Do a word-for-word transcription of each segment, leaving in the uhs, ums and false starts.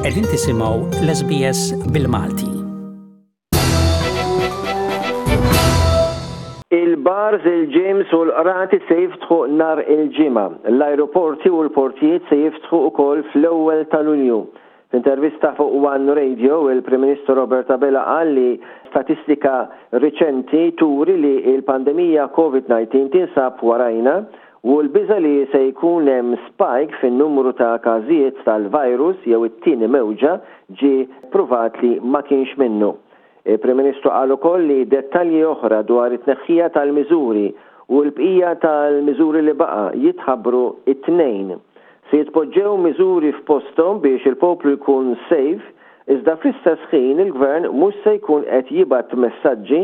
Qegħdin tisimgħu l-S B S bil-Malti. Il-bars, il-gyms u l-qrati se jiftħu nhar il-Ġimgħa. L-aeroporti u l-portijiet se jiftħu ukoll fl-ewwel ta' Lulju. F'intervista fuq One Radio, il-Prim Ministru Robert Abela qal li statistika riċenti turi li il-pandemija COVID disa tinsab warajna u l-biża li se jkun hemm spike fin-numru ta' każijiet tal-virus jew it-tieni mewġa ġi pruvat li ma kienx minnu. Il-Prim Ministru qal ukoll li dettalji oħra dwar it-tneħħija tal-miżuri u l-bqija tal-miżuri li baqa' jitħabbru it-Tnejn. Se jitpoġġew miżuri f'posthom biex il-poplu jkun safe, iżda fl-istess ħin il-gvern mhux se jkun qed jibgħat messaġġi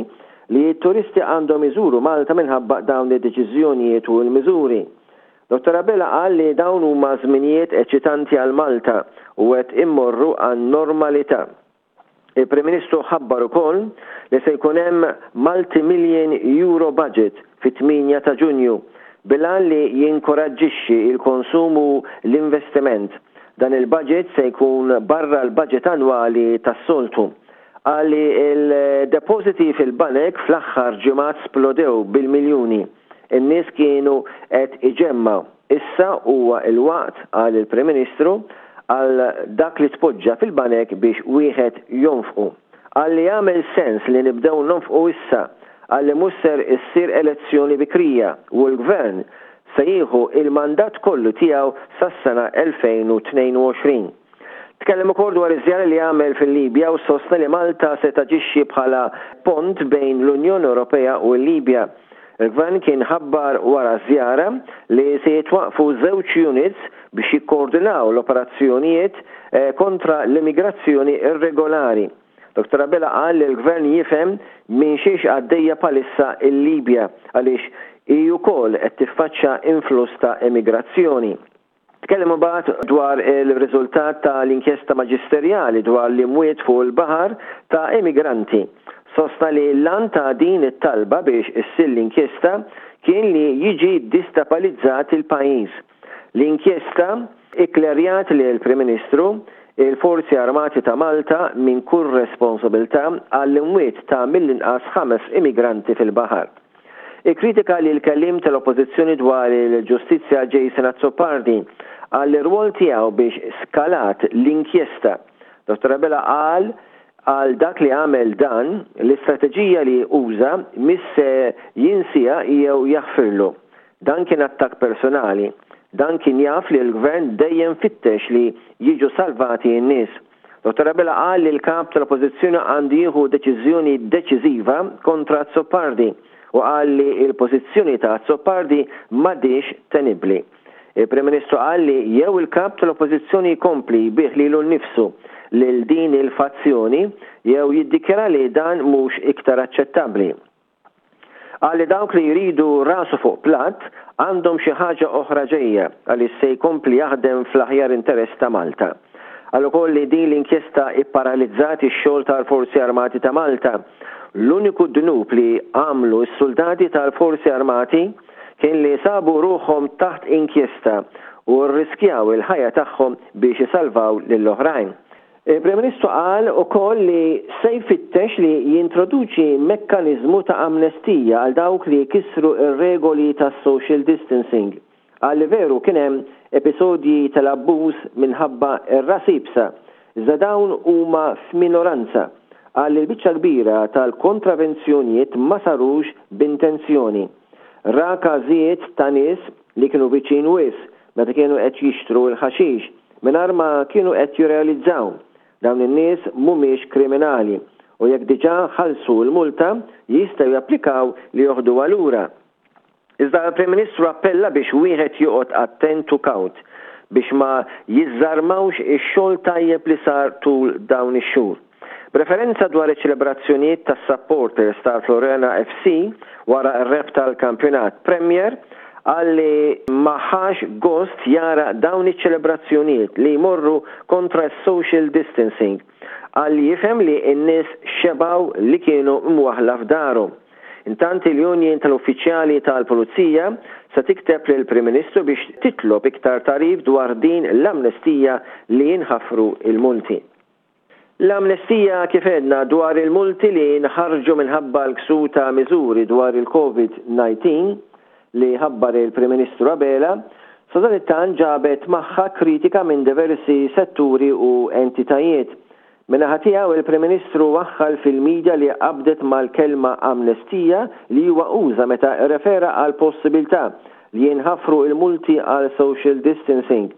li t-turisti għandhom iżuru Malta minħabba dawn id-deċiżjonijiet u l-miżuri. Dottor Abela qal li dawn huma żminijiet eċitanti għal Malta u qed immorru għan normalità. Il-Prim Ministru ħabbar ukoll li se jkun hemm multi-million euro budget fit-tmienja ta' Ġunju bil-għan li jinkoraġġixxi il-konsum u l-investiment. Dan il-budget se jkun barra l-budget annwali tas-soltu. Qal li il-depositi fil-banek fl-aħħar ġimgħat splodew bil-miljuni. In-nies kienu qed iġemmgħu. Issa huwa il-waqt, qal il-Prim Ministru, għal dak li tpoġġa fil-banek biex wieħed jonfqu. Qal li jagħmel sens li nibdew nonfqu issa, qal li mhux ser issir elezzjoni bikrija u l-gvern se jieħu il-mandat kollu tiegħu sas-sena elfejn u tnejn u għoxrin. Tkellem ukoll dwar iż-żjara li għamel fil-Libja u sostna li Malta se taġixxi bħala pont bejn l-Unjoni Ewropea u l-Libja. Il-gvern kien ħabbar wara żjara li se jitwaqfu żewġ units biex jikkoordinaw l-operazzjonijiet eh, kontra l-immigrazzjoni irregolari. Dottor Abela qal li l-gvern jifhem minn xiex għaddejja bħalissa il-Libja għaliex hi wkoll qed tiffaċċja influss ta' immigrazzjoni. Tkellem imbagħad dwar il-riżultat tal-inkjesta maġisterjali dwar l-imwiet fuq il-baħar ta' immigranti. Sostna li l-għan ta' din it-talba biex issir l-inkjesta kien li jiġi destabilizzat il-pajjiż. L-inkjesta ikklerjat li l-Prim Ministru il-Forzi Armati ta' Malta minn kull responsabilità għall-imwiet ta' mill-inqas ħames immigranti fil-baħar. Ikkritika li l-kelliem tal-Oppożizzjoni dwar il-ġustizzja Jason Azzopardi għall-irwol tiegħu biex skalat l-inkjesta. Dottor Abela qal għal dak li għamel dan l-istrateġija li uża mhux se jinsieha jew jaħfirlu. Dan kien attak personali. Dan kien jaf li l-gvern dejjem fittex li jiġu salvati n-nies. Dottor Abela qal li l-kap tal-Oppożizzjoni għandu jieħu deċiżjoni deċiżiva kontra Azzopardi u qal li il-pożizzjoni ta' Azzopardi m'għadhiex tenibbli. Il-Prim Ministru qal li jew il-kap tal-Oppożizzjoni jkompli jbigħ lilu nnifsu lil din il-fazzjoni jew jiddikjara li dan mhux iktar aċċettabbli. Qal li dawk li jridu rasu fuq platt għandhom xi ħaġa oħra ġejja għaliex se jkompli jaħdem fl-aħjar interess ta' Malta. Qal ukoll li din l-inkjesta ipparalizzat ix-xogħol tal-Forzi Armati ta' Malta. L-uniku dnub li għamlu s-soldati tal-Forzi Armati kien li sabu ruħhom taħt inkjesta u rriskjaw il-ħajja tagħhom biex isalvaw lill-oħrajn. Il-Prim Ministru qal ukoll li se jfittex li jintroduċi mekkaniżmu ta' amnestija għal dawk li kisru ir-regoli tas social distancing. Qal li veru kien hemm episodji tal-abbuż minħabba ir-ras iebsa, iżda dawn huma f'minoranza. Qal li l-biċċa kbira tal-kontravenzjonijiet ma sarux b'intenzjoni. Ra każijiet ta' nies li kienu viċin wisq meta kienu qed jixtru l-ħaxix mingħajr ma kienu qed jirrealizzaw. Dawn in-nies mhumiex kriminali u jekk diġà ħallsu l-multa jistgħu japplikaw li joħduha lura. Iżda l-Prim Ministru appella biex wieħed joqgħod attent u kawt biex ma jiżżarmawx ix-xogħol tajjeb li sar tul dawn ix-xhur. B'referenza dwar iċ-ċelebrazzjonijiet tas-supporters tal-Floriana F C wara r-rebħ tal-kampjonat Premier, qal li ma ħax gost jara dawn iċ-ċelebrazzjonijiet li jmorru kontra social distancing. Qal li jifhem li n-nies xebaw li kienu mwaħla f'darhom. Intant, il-Union tal-Uffiċjali tal-Pulizija se tikteb lill-Prim Ministru biex titlob iktar tagħrif dwar din l-amnestija li jinħafru il-multi. L-amnestija, kif għedna, dwar il-multi li nħarġu minħabba l-ksur ta' miżuri dwar il-COVID nineteen li ħabbar il-Prim Ministru Abela, sadanittant ġabet magħha kritika minn diversi setturi u entitajiet. Min-naħa tiegħu, il-Prim Ministru waħħal fil-medja li qabdet mal-kelma amnestija li huwa uża meta refera għal possibilità li jinħafru il-multi għal social distancing.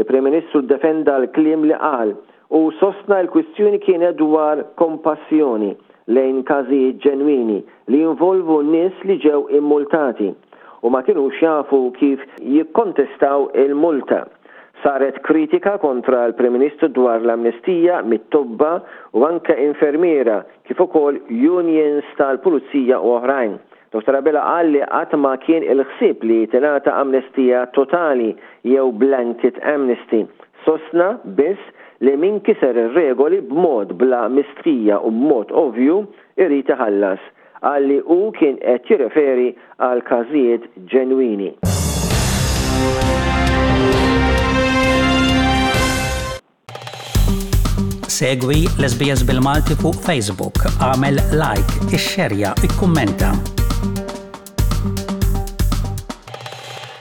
Il-Prim Ministru defenda l-kliem li qal u sostna l-kwistjoni kienet dwar kompassjoni lejn każijiet ġenwini li jinvolvu nies li ġew immultati u ma kienux jafu kif jikkontestaw il-multa. Saret kritika kontra l-Prim Ministru dwar l-amnestija mit-tobba u anke infermiera, kif ukoll unions tal-pulizija u oħrajn. Dottor Abela qal li qatt ma kien il-ħsieb li tingħata amnestija totali jew blanket amnesty. Sostna biss li min kiser ir-regoli b'mod bla mistħija u b'mod ovvju irid iħallas. Qal li hu kien qed jirreferi għal każijiet ġenwini. Segwi l-S B S bil-Malti fuq Facebook, għamel like, ixxerja, ikkummenta.